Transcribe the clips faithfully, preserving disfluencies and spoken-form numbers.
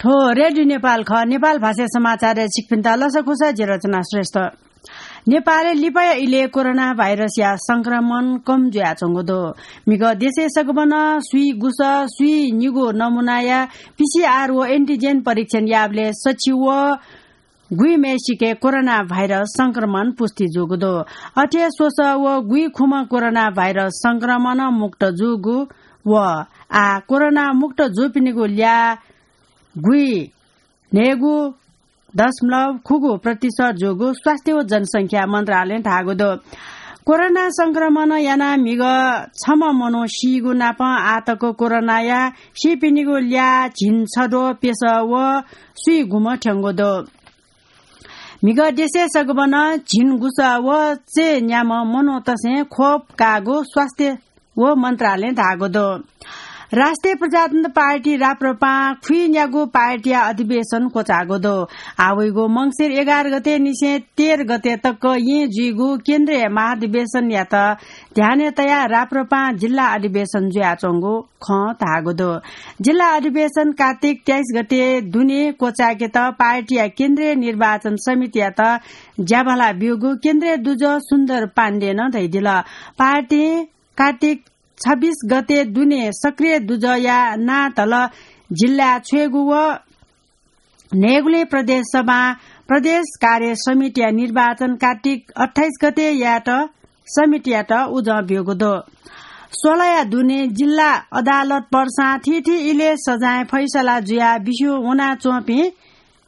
थ्व रेडियो नेपाल खः। नेपाल भाषा समाचारय् छिकपिन्त लसकुस, जि रचना श्रेष्ठ। नेपालय् लिपाया इलय् कोरोना भाइरसया संक्रमण कम जुयाच्वंगु दु। म्हिगः देशय् सगबनं स्वीगुसः स्वीनिगू नमुनाया पीसीआर व एन्टिजेन परीक्षण याःबलय् सछि व गुइम्हय्सिके कोरोना भाइरस संक्रमण पुष्टि जूगु दु। अथे स्वसः व गुइखुम्ह कोरोना भाइरस संक्रमण मुक्त जूगु व आः कोरोना मुक्त जूपिनिगु ल्याः गुइन्हय्गू दशमलव खुगू प्रतिशत जूगु स्वास्थ्य व जनसंख्या मन्त्रालयं धाःगु दु। कोरोना संक्रमण यानाः म्हिगः छम्ह मनू सीगु नापं आःतक कोरोनाया सीपिनिगु ल्याः झिंछद्वः प्यसः व स्वीगुम्ह थ्यंगु दु। म्हिगः देशय् सगबनं झिंगुसः व चय्न्याम्ह मनूतय्सं खोप काःगु स्वास्थ्य व मन्त्रालयं धाःगु दु। राष्ट्रिय प्रजातन्त्र पार्टी राप्रपां खुइन्यागू पार्टीया अधिवेशन क्वचाःगु दु। आः वइगु मंसिर एघार गते निसें तेह्र गते तक येँ जुइगु केन्द्रीय महाधिवेशनयात ध्यानय् तयाः राप्रपां जिल्ला अधिवेशन जुयाच्वंगु खँ धाःगु दु। जिल्ला अधिवेशन कार्तिक तेइस गते दुने क्वचायेकेत पार्टीया केन्द्रीय निर्वाचन समितियात ज्याभाला ब्यूगु केन्द्रीय दुजः सुन्दर पाण्डेनं धयादिल। पार्टीं कार्तिक छब्बीस गते दुने सक्रिय दुजःया नां तल जिल्लाय् छ्वयेगु व न्हय्गुलिं प्रदेश सभां प्रदेश कार्य समितिया निर्वाचन कार्तिक अट्ठाइस गते यायेत समितियात उजं ब्यूगु दु। सोलया दुने जिल्ला अदालत पर्सां थीथी इलय् सजाँय फैसला जुयाः बिस्युं वनाच्वंपिं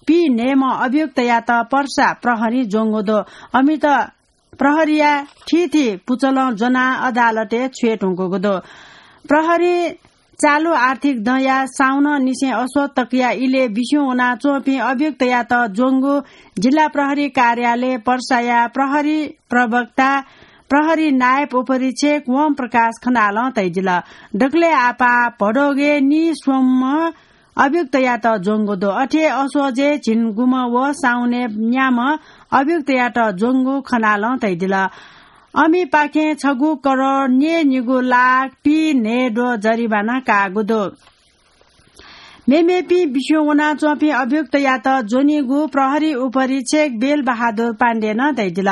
पीन्हय्म्ह अभियुक्तयात पर्सा प्रहरीं ज्वंगु दु। अमित प्रहरीया थीथी पुचलं ज्वनाः अदालतय् छ्वये धुंकूगु दु। प्रहरीं चालु आर्थिक दँया साउननिसें असोज तकया इलय् बिस्युं वनाच्वंपिं अभियुक्तयात ज्वंगु जिल्ला प्रहरी कार्यालय पर्साया प्रहरी प्रवक्ता प्रहरी नायब उपरीक्षक ओम प्रकाश खनालं धयादिल। दकलय् आपाः भदौगय् नीस्वम्ह अभियुक्तयात ज्वंगु दु। अथे असोजय् झिंगुम्ह व साउनय् न्याम्ह अभियुक्तयात ज्वंगु खनालं धयादिल। अमिपाखें छगू करोड न्यय्निगू लाख पीन्हय्द्वः जरिवाना काःगु दु। मेमेपिं बिस्युं वनाच्वंपिं अभियुक्तयात ज्वनीगु प्रहरी उपरीक्षक बेलबहादुर पाण्डेनं धयादिल।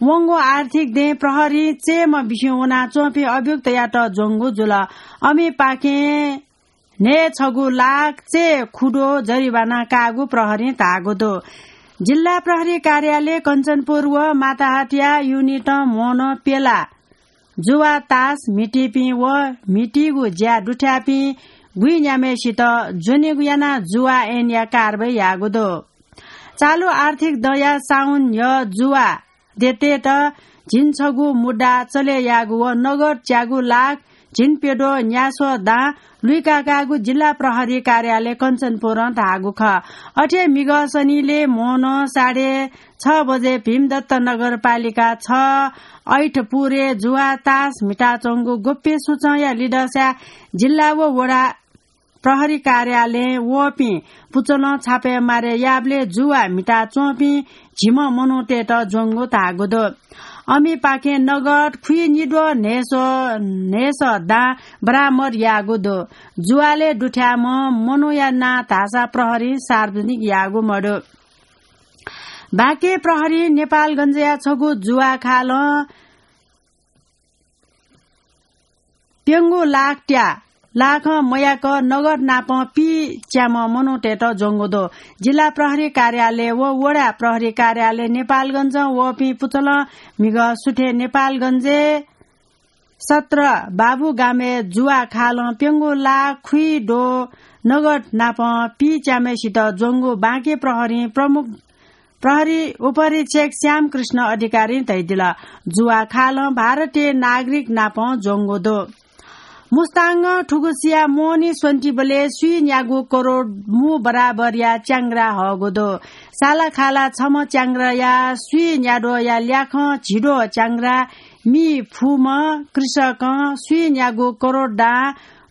वंगु आर्थिक दँय् प्रहरीं चय्म्ह बिस्युं वनाच्वंपिं अभियुक्तयात ज्वंगु जुल। अमिपाखें न्हय्छगू लाख चय्खुद्वः जरिवाना काःगु प्रहरीं धाःगु दु। जिल्ला प्रहरी कार्यालय कञ्चनपुर व माताहतया युनिटं म्होनं प्यला जुवा तास म्हितीपिं व म्हितीगु ज्या दुथ्याःपिं गुइन्याम्हय्सित ज्वनेगु यानाः जुवा ऐनया कारवाही याःगु दु। चालु आर्थिक दँया साउन न्ह्यः जुवा देय्तय्त झिंछगू मुद्दा चले याःगु व नगद च्यागू लाख झिंप्यद्वः न्यास्वः दां लुइकाकाःगु जिल्ला प्रहरी कार्यालय कञ्चनपुरं धाःगु खः। अथे म्हिगः सनिलय् म्होनं साढे छ बजे भीमदत्त नगरपालिका छ ऐठपुरय् जुवा तास म्हिताच्वंगु गोप्य सूचंया लिधंसाय् जिल्ला व वडा प्रहरी कार्यालयं वःपिं पुचलं छापय् मारे याःबलय् जुवा म्हिताच्वंपिं झिम्ह मनूतय्त ज्वंगु धाःगु दु। अमिपाखें नगद खुइनिद्वः न्हय्सः, न्हय्सः दां बरामद याःगु दु। जुवालय् दुथ्याःम्ह मनूया नां धाःसा प्रहरीं सार्वजनिक याःगु मदु। बाँके प्रहरीं नेपालगञ्जया छगू जुवा खालं प्यंगू लाख त्या लाखं मयाक नगद नापं पीच्याम्ह मनूतय्त ज्वंगु दु। जिल्ला प्रहरी कार्यालय व वडा प्रहरी कार्यालय नेपालगञ्जं वःपिं पुचलं म्हिगः सुथय् नेपालगञ्जय् सत्र बाबुगामय् जुवा खालं प्यंगू लाख खुइद्वः नगद नापं पीच्याम्हय्सित ज्वंगु बाँके प्रहरीं प्रमुख प्रहरी उपरीक्षक श्यामकृष्ण अधिकारीं धयादिल। जुवा खालं भारतीय नागरिक नापं ज्वंगु दु। मुस्ताङं थुगुसिया मोहनी स्वन्तिबलय् स्वीन्यागू करोड मू बराबरया च्याङ्ग्रा हःगु दु। सालाखाला छम्ह च्याङ्ग्राया स्वीन्याद्वःया ल्याखं झिद्वः च्याङ्ग्रा मी फुम्ह कृषकं स्वीन्यागू करोड दां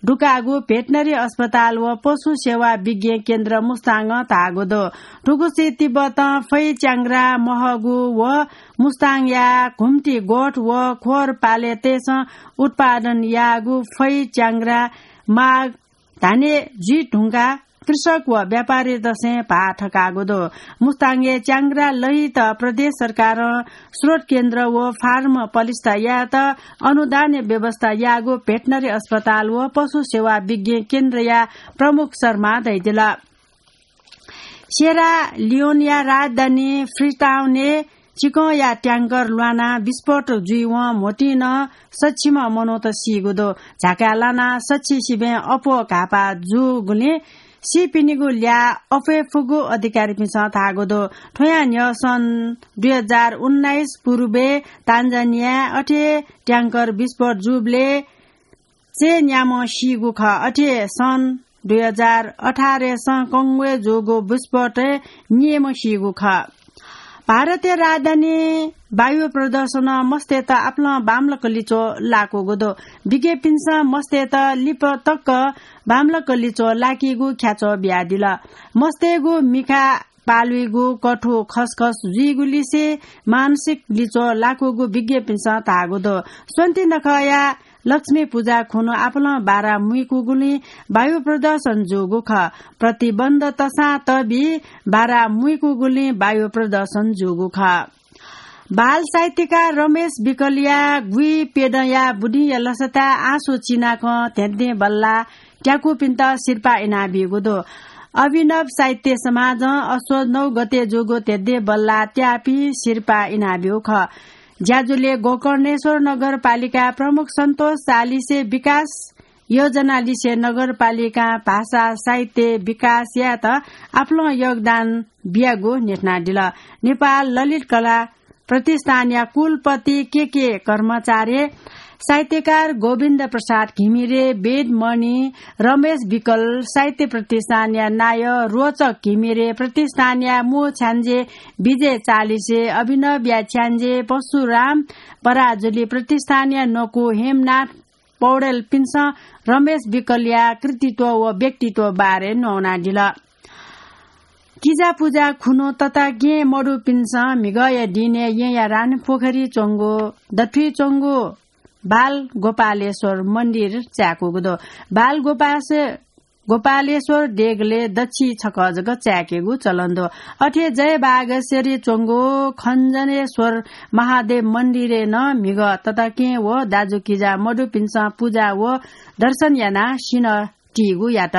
दुकाःगु भेटनरी अस्पताल व पशु सेवा विज्ञ केन्द्र मुस्ताङं धाःगु दु। थुगुसी तिब्बतं फै च्याङ्ग्रा महःगु व मुस्ताङया घुम्ती गोठ व खोर पालेतय्सं उत्पादन याःगु फै च्याङ्ग्रा माग धाने जुइ धुंकाः कृषक व व्यापारीतसें भाः थकाःगु दु। मुस्ताङय् च्याङ्ग्रा लहित प्रदेश सरकारं स्रोत केन्द्र व फार्म पलिस्था यायेत अनुदानया व्यवस्था याःगु भेटनरी अस्पताल व पशु सेवा विज्ञ केन्द्रया प्रमुख शर्मा धयादिल। सेरा लियोनया राजधानी फ्रीटाउनय् चिकंया ट्याङ्कर ल्वानाः विस्फोट जुइवं म्होतिं नं सच्छि मनूत सीगु दु। झाकाय् लानाः सच्छि सिबें अप्वः घाःपाः जूगुलिं सीपिनिगु ल्याः अप्वये फुगु अधिकारीपिन्सं धाःगु दु। थ्वयां न्ह्यः सन् दुई हजार उन्नाइस पूर्वय् तान्जानियाय् अथे ट्याङ्कर विस्फोट जूबलय् चय्न्याम्ह सीगु खः। अथे सन् दुई हजार अठारय् सँ कंगोय् जूगु विस्फोटय् निम्ह सीगु खः। भारतीय राजधानी वायु प्रदूषणं मस्तय्त आपालं बांमलाक लिच्वः लाकूगु दु। विज्ञपिन्सं मस्तय्त लिपा तक बांमलाक लिच्वः लाकीगु ख्याच्वः बियादिल। मस्तय्गु मिखा पालुइगु, कथु खसखस जुइगुलिसे मानसिक लिच्वः लाकूगु विज्ञपिन्सं धाःगु दु। स्वन्ति नखःया लक्ष्मी पुजा खुन्हु आपालं बारा मुइकूगुलिं वायु प्रदूषण जूगु खः। प्रतिबन्ध तसां तबी बारा मुइकूगुलिं वायु प्रदूषण जूगु खः। बाल साहित्यकार रमेश विकलया गुइप्यदँया बुदिंया लसताय् आँसु चिनाकं ध्यंध्यें बल्लाः त्याकूपिन्त सिरपाः इनाबिइगु दु। अभिनव साहित्य समाजं असोज नौ गते जूगु ध्यंध्यें बल्लाः त्याःपिं सिरपाः इनाबिइगु खः। ज्याझ्वलय् गोकर्णेश्वर नगरपालिका प्रमुख सन्तोष चालिसे विकास योजना लिसे नगरपालिकां भाषा साहित्य विकास यायेत आपालं योगदान बियागु न्ह्यथनादिल। नेपाल ललित कला प्रतिष्ठानया कुलपति के के कर्माचार्य, साहित्यकार गोविन्द प्रसाद घिमिरे, वेदमणि, रमेश विकल, साहित्य प्रतिष्ठानया नायः रोचक घिमिरे, प्रतिष्ठानया मू छ्याञ्जे विजय चालिसे, अभिनवया छ्याञ्जे परशुराम पराजुली, प्रतिष्ठानया नकु हेमनाथ पौडेलपिन्सं रमेश विकलया कृतित्व व व्यक्तित्व बारे न्ववानादिल। किजा पुजा खुन्हु तताकेहेँ मदुपिन्सं म्हिगःया दिनय् येँया रानीपोखरी च्वंगु दथुइ च्वंगु बाल गोपालेश्वर मन्दिर चाय्कूगु दु। बाल गोपासे-, गोपालेश्वर देगलय् दच्छि छकः जक चाय्केगु चलन दु। अथे जयबागेश्वरी च्वंगु खञ्जनेश्वर महादेव मन्दिरय् नं म्हिगः तताकेहेँ व दाजुकिजा मदुपिन्सं पुजा व दर्शन यानाः सिन्हः तीगु यात।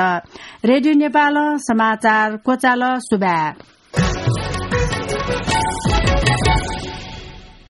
रेडियो नेपालं समाचार क्वचाल। सुभाय्।